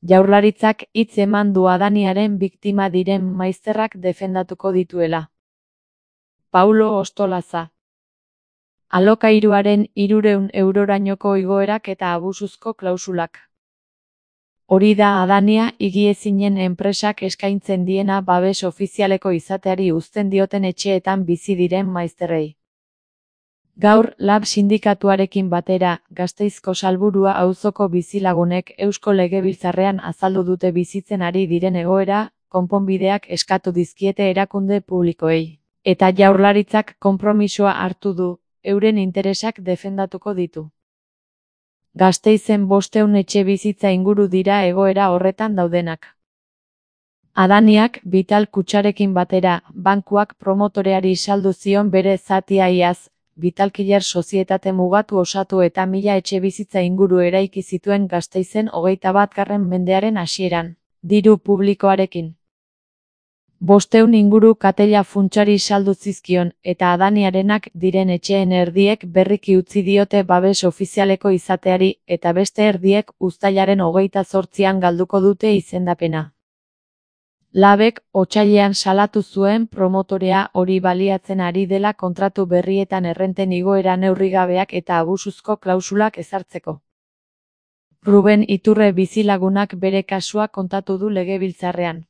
Jaurlaritzak hitz eman du Adaniaren biktima diren maizterrak defendatuko dituela. Paulo Ostolaza. Alokairuaren 300 eurorainoko igoerak eta abusuzko klausulak. Hori da Adania higiezinen enpresak eskaintzen diena babes ofizialeko izateari uzten dioten etxeetan bizi diren maizterrei. Gaur, LAB sindikatuarekin batera, Gasteizko Salburua auzoko bizilagunek Eusko Legebiltzarrean azaldu dute bizitzen ari diren egoera, konponbideak eskatu dizkiete erakunde publikoei. Eta Jaurlaritzak konpromisoa hartu du, euren interesak defendatuko ditu. Gasteizen 500 etxebizitza inguru dira egoera horretan daudenak. Adaniak, Vital kutxarekin batera, bankuak promotoreari saldu zion bere zatia iaz, Vitalkiller sozietate mugatu osatu eta 1000 etxebizitza inguru eraiki zituen Gasteizen 21. mendearen hasieran, diru publikoarekin. 500 inguru Katella funtsari saldu zizkion, eta Adaniarenak diren etxeen erdiek berriki utzi diote babes ofizialeko izateari, eta beste erdiek uztailaren 28an galduko dute izendapena. LABek otsailean salatu zuen promotorea hori baliatzen ari dela kontratu berrietan errenten igoera neurrigabeak eta abusuzko klausulak ezartzeko. Ruben Iturre bizilagunak bere kasua kontatu du Legebiltzarrean.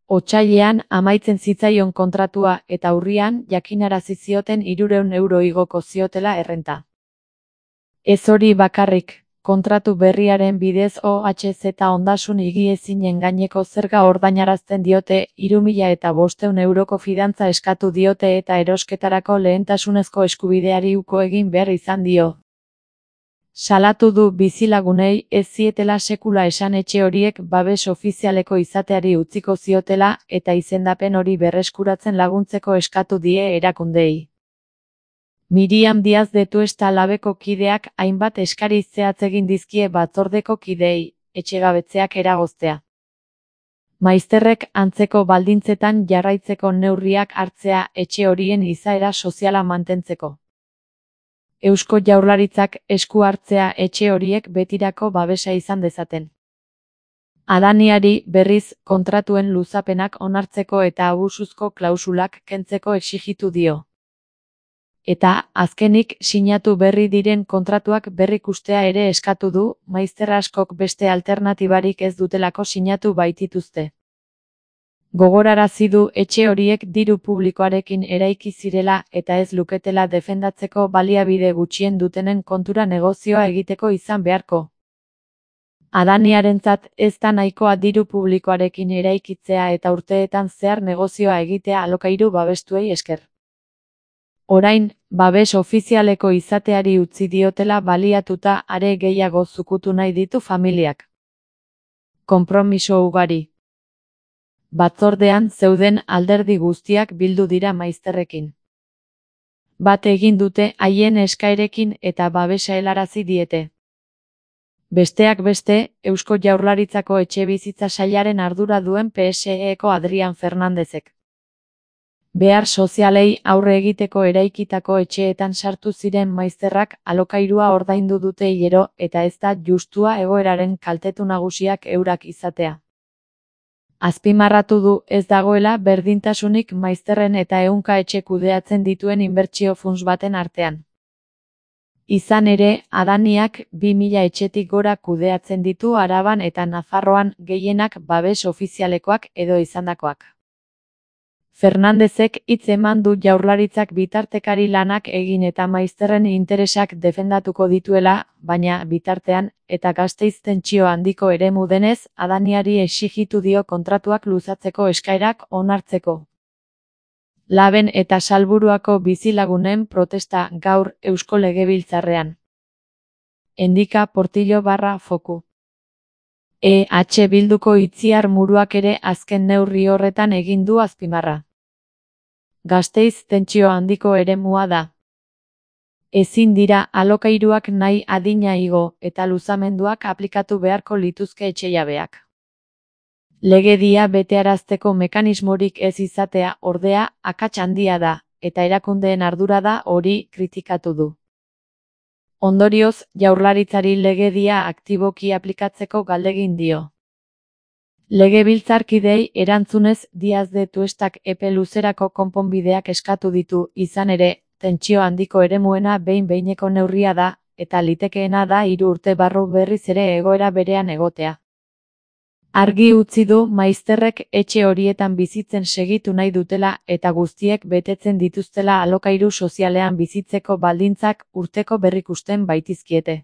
Otsailean amaitzen zitzaion kontratua eta urrian jakinarazi zioten 300 euro igoko ziotela errenta. Ez hori bakarrik. Kontratu berriaren bidez OHZ ondasun higiezinen gaineko zerga ordainarazten diote, 3500 euroko fidantza eskatu diote eta erosketarako lehentasunezko eskubideari uko egin behar izan dio. Salatu du bizilagunei ez zietela sekula esan etxe horiek babes ofizialeko izateari utziko ziotela eta izendapen hori berreskuratzen laguntzeko eskatu die erakundei. Miriam Diaz de Tuesta LABeko kideak hainbat eskari zehatz egin dizkie batzordeko kideei, etxegabetzeak eragoztea. Maizterrek antzeko baldintzetan jarraitzeko neurriak hartzea etxe horien izaera soziala mantentzeko. Eusko Jaurlaritzak esku hartzea etxe horiek betirako babesa izan dezaten. Adaniari berriz kontratuen luzapenak onartzeko eta abusuzko klausulak kentzeko exijitu dio. Eta, azkenik, sinatu berri diren kontratuak berrikustea ere eskatu du, maizter askok beste alternatibarik ez dutelako sinatu baitituzte. Gogorarazi du etxe horiek diru publikoarekin eraiki zirela eta ez luketela defendatzeko baliabide gutxien dutenen kontura negozioa egiteko izan beharko. Adaniarentzat ez da nahikoa diru publikoarekin eraikitzea eta urteetan zehar negozioa egitea alokairu babestuei esker. Orain, babes ofizialeko izateari utzi diotela baliatuta are gehiago zukutu nahi ditu familiak. Konpromiso ugari. Batzordean zeuden alderdi guztiak bildu dira maizterrekin. Bat egin dute haien eskaerekin eta babesa helarazi diete. Besteak beste, Eusko Jaurlaritzako etxebizitza sailaren ardura duen PSEko Adrian Fernandezek. Behar sozialei aurre egiteko eraikitako etxeetan sartu ziren maizterrak alokairua ordaindu dute hilero eta ez da justua egoeraren kaltetu nagusiak eurak izatea. Azpimarratu du ez dagoela berdintasunik maizterren eta ehunka etxe kudeatzen dituen inbertsio funts baten artean. Izan ere, Adaniak 2000 etxetik gora kudeatzen ditu Araban eta Nafarroan gehienak babes ofizialekoak edo izandakoak. Fernandezek hitz eman du Jaurlaritzak bitartekari lanak egin eta maizterren interesak defendatuko dituela, baina bitartean, eta Gasteiz tentsio handiko eremu denez, Adaniari exijitu dio kontratuak luzatzeko eskaerak onartzeko. LABen eta Salburuako bizilagunen protesta gaur Eusko Legebiltzarrean. Endika Portillo /Foku. Bilduko Itziar Muruak ere azken neurri horretan egin du azpimarra. Gasteiz tentsio handiko eremua da. Ezin dira alokairuak nahi adina igo eta luzamenduak aplikatu beharko lituzke etxejabeak. Legedia betearazteko mekanismorik ez izatea ordea akats handia da, eta erakundeen ardura da hori kritikatu du. Ondorioz, Jaurlaritzari legedia aktiboki aplikatzeko galdegin dio. Legebiltzarkideei erantzunez, Díaz de Tuestak epe luzerako konponbideak eskatu ditu, izan ere, tentsio handiko eremuena behin-behineko neurria da, eta litekeena da 3 urte barru berriz ere egoera berean egotea. Argi utzi du maizterrek etxe horietan bizitzen segitu nahi dutela eta guztiek betetzen dituztela alokairu sozialean bizitzeko baldintzak urteko berrikusten baitizkiete.